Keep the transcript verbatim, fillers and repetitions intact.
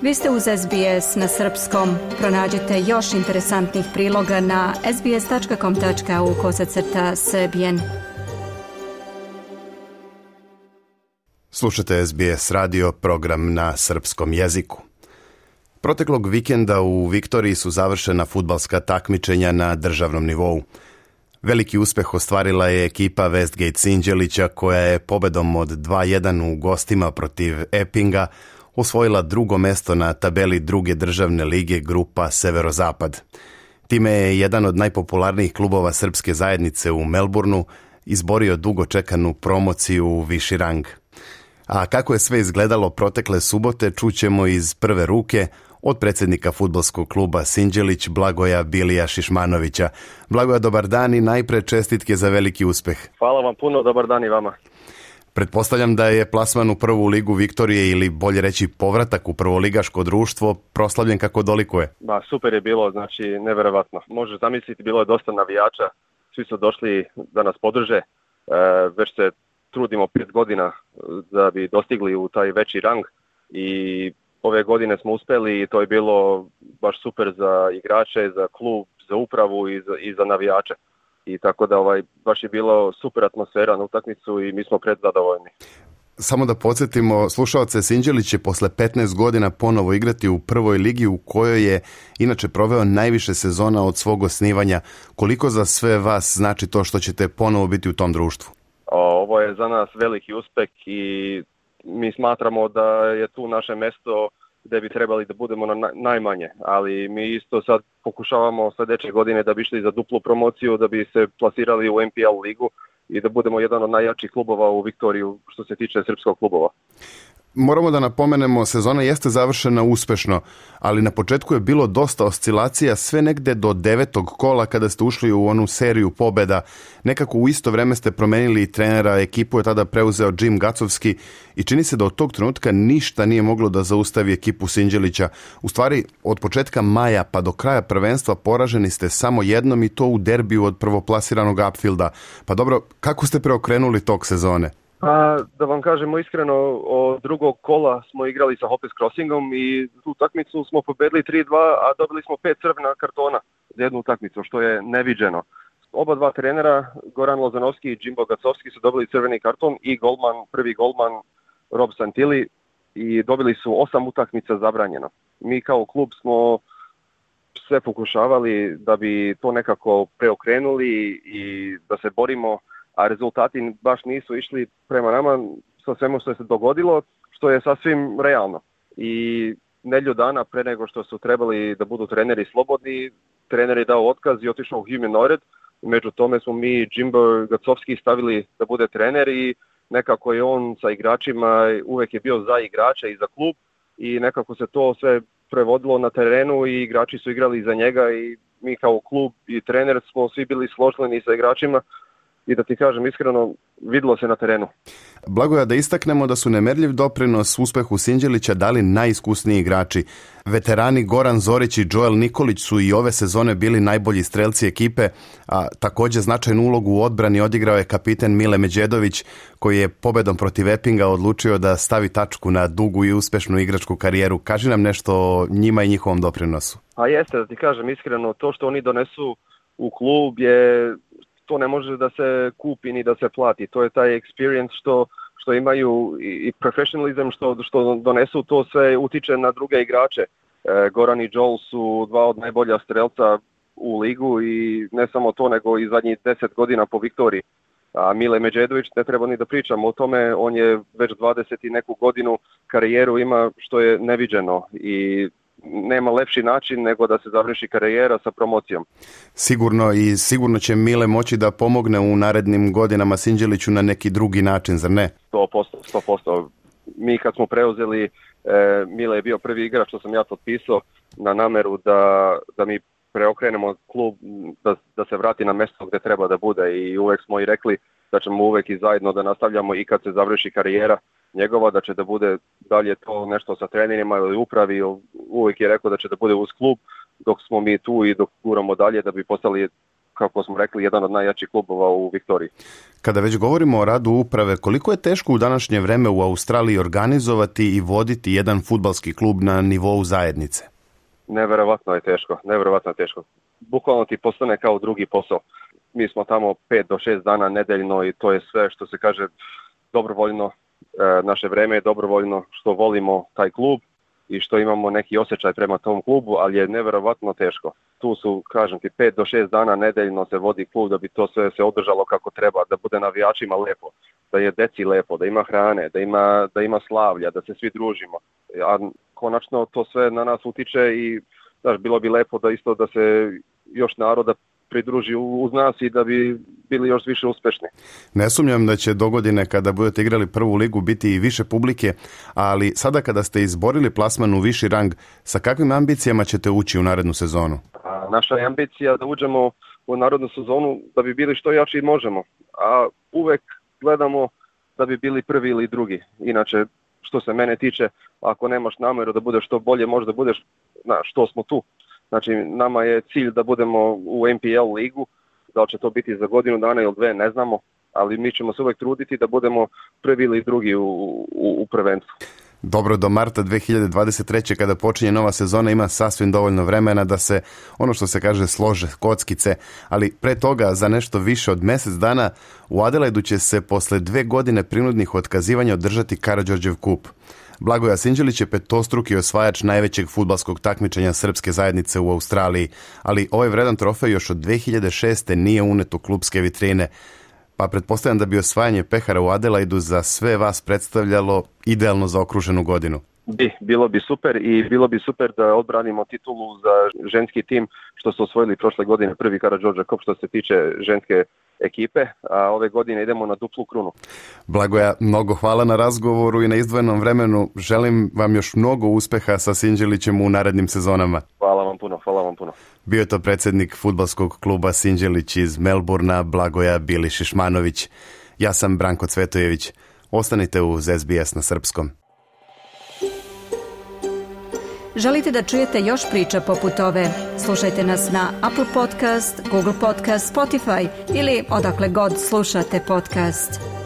Vi ste uz S B S na srpskom. Pronađite još interesantnih priloga na sbs.com.au kosacrta srbijen. Slušate S B S radio, program na srpskom jeziku. Proteklog vikenda u Viktoriji su završena fudbalska takmičenja na državnom nivou. Veliki uspeh ostvarila je ekipa Westgate Sinđelića koja je pobedom od dva jedan u gostima protiv Epinga osvojila drugo mesto na tabeli druge državne lige grupa Severozapad. Time je jedan od najpopularnijih klubova srpske zajednice u Melbourneu izborio dugo čekanu promociju u viši rang. A kako je sve izgledalo protekle subote čućemo iz prve ruke od predsjednika fudbalskog kluba Sinđelić Blagoja Bilija Šišmanovića. Blagoja, dobar dan i najpre čestitke za veliki uspeh. Hvala vam puno, dobar dan i vama. Pretpostavljam da je plasman u prvu ligu Viktorije ili bolje reći povratak u prvoligaško društvo proslavljen kako dolikuje. Ba, super je bilo, znači neverovatno. Možeš zamisliti, bilo je dosta navijača, svi su došli da nas podrže, e, već se trudimo pet godina da bi dostigli u taj veći rang i ove godine smo uspjeli i to je bilo baš super za igrače, za klub, za upravu i za, i za navijače. I tako da ovaj, baš je bilo super atmosfera na utakmicu i mi smo predzadovoljni. Samo da podsjetimo, slušaoce, Sinđelić će posle petnaest godina ponovo igrati u prvoj ligi u kojoj je inače proveo najviše sezona od svog osnivanja. Koliko za sve vas znači to što ćete ponovo biti u tom društvu? Ovo je za nas veliki uspeh i mi smatramo da je tu naše mesto gdje bi trebali da budemo na najmanje, ali mi isto sad pokušavamo sljedeće godine da bi išli za duplu promociju, da bi se plasirali u N P L ligu i da budemo jedan od najjačih klubova u Viktoriju što se tiče srpskog klubova. Moramo da napomenemo, sezona jeste završena uspešno, ali na početku je bilo dosta oscilacija, sve negde do devetog kola kada ste ušli u onu seriju pobjeda. Nekako u isto vreme ste promenili i trenera, ekipu je tada preuzeo Jim Gacovski i čini se da od tog trenutka ništa nije moglo da zaustavi ekipu Sinđelića. U stvari, od početka maja pa do kraja prvenstva poraženi ste samo jednom i to u derbiju od prvoplasiranog Upfielda. Pa dobro, kako ste preokrenuli tog sezone? Pa, da vam kažemo iskreno, od drugog kola smo igrali sa Hoppes Crossingom i tu utakmicu smo pobedili tri dva, a dobili smo pet crvena kartona za jednu utakmicu, što je neviđeno. Oba dva trenera, Goran Lozanovski i Jimbo Gacovski, su dobili crveni karton i golman, prvi golman Rob Santilli, i dobili su osam utakmica zabranjeno. Mi kao klub smo sve pokušavali da bi to nekako preokrenuli i da se borimo, a rezultati baš nisu išli prema nama sa svemu što se dogodilo, što je sasvim realno. I nedjelju dana pre nego što su trebali da budu treneri slobodni, trener je dao otkaz i otišao u Human Ored. Među tome smo mi Jimbo Gacovski stavili da bude trener i nekako je on sa igračima uvek je bio za igrače i za klub i nekako se to sve prevodilo na terenu i igrači su igrali za njega i mi kao klub i trener smo svi bili složeni sa igračima. I da ti kažem iskreno, vidilo se na terenu. Blagoja, da istaknemo da su nemerljiv doprinos uspehu Sinđelića dali najiskusniji igrači. Veterani Goran Zorić i Joel Nikolić su i ove sezone bili najbolji strelci ekipe, a također značajnu ulogu u odbrani odigrao je kapiten Mile Međedović, koji je pobedom protiv Epinga odlučio da stavi tačku na dugu i uspešnu igračku karijeru. Kaži nam nešto o njima i njihovom doprinosu. A jeste, da ti kažem iskreno, to što oni donesu u klub je... to ne može da se kupi ni da se plati. To je taj experience što, što imaju i professionalizam što, što donesu, to sve utiče na druge igrače. E, Goran i Joel su dva od najbolja strelca u ligu i ne samo to, nego i zadnjih deset godina po Viktoriji. A Mile Međedović, ne treba ni da pričamo o tome, on je već dvadeset i neku godinu karijeru ima što je neviđeno i nema lepši način nego da se završi karijera sa promocijom. Sigurno i sigurno će Mile moći da pomogne u narednim godinama Sinđeliću na neki drugi način, zar ne? sto posto, sto posto. Mi kad smo preuzeli, e, Mile je bio prvi igrač što sam ja potpisao na nameru da, da mi preokrenemo klub, da, da se vrati na mjesto gdje treba da bude i uvek smo i rekli da ćemo uvek i zajedno da nastavljamo i kad se završi karijera njegova, da će da bude dalje to nešto sa trenerima ili upravi, uvijek je rekao da će da bude uz klub dok smo mi tu i dok guramo dalje da bi postali kako smo rekli, jedan od najjačih klubova u Viktoriji. Kada već govorimo o radu uprave, koliko je teško u današnje vreme u Australiji organizovati i voditi jedan fudbalski klub na nivou zajednice? Neverovatno je teško, neverovatno je teško. Bukvalno ti postane kao drugi posao. Mi smo tamo pet do šest dana nedeljno i to je sve što se kaže dobrovoljno. E, naše vreme je dobrovoljno, što volimo taj klub i što imamo neki osjećaj prema tom klubu, ali je neverovatno teško. Tu su, kažem ti, pet do šest dana nedeljno se vodi klub da bi to sve se održalo kako treba, da bude navijačima lepo, da je deci lepo, da ima hrane, da ima, da ima slavlja, da se svi družimo. A konačno to sve na nas utiče i znaš, bilo bi lepo da isto da se još naroda pridruži uz nas i da bi bili još više uspešni. Ne sumnjam da će dogodine kada budete igrali prvu ligu biti i više publike, ali sada kada ste izborili plasman u viši rang, sa kakvim ambicijama ćete ući u narednu sezonu? A naša je ambicija da uđemo u narednu sezonu da bi bili što jači možemo, a uvek gledamo da bi bili prvi ili drugi. Inače, što se mene tiče, ako nemaš nameru da budeš što bolje, možda budeš, na što smo tu. Znači, nama je cilj da budemo u N P L ligu, da li će to biti za godinu dana ili dve, ne znamo, ali mi ćemo se uvek truditi da budemo prvi ili drugi u, u, u prvenstvu. Dobro, do marta dve hiljade dvadeset treće kada počinje nova sezona ima sasvim dovoljno vremena da se, ono što se kaže, slože kockice, ali pre toga za nešto više od mjesec dana u Adelaidu će se posle dve godine prinudnih otkazivanja održati Karađorđev kup. Blagoje Sinđelić je petostruki osvajač najvećeg fudbalskog takmičenja srpske zajednice u Australiji, ali ovaj vredan trofej još od dve hiljade šeste. nije unet u klubske vitrine, pa pretpostavljam da bi osvajanje pehara u Adelaidu za sve vas predstavljalo idealno zaokruženu godinu. Bi, bilo bi super i bilo bi super da odbranimo titulu za ženski tim što su osvojili prošle godine prvi Karađorđev kup što se tiče ženske ekipe, a ove godine idemo na duplu krunu. Blagoja, mnogo hvala na razgovoru i na izdvojenom vremenu. Želim vam još mnogo uspeha sa Sinđelićem u narednim sezonama. Hvala vam puno, hvala vam puno. Bio je to predsjednik fudbalskog kluba Sinđelić iz Melburna, Blagoja Bilišišmanović. Ja sam Branko Cvetojević. Ostanite uz S B S na srpskom. Želite da čujete još priča poput ove? Slušajte nas na Apple Podcast, Google Podcast, Spotify ili odakle god slušate podcast.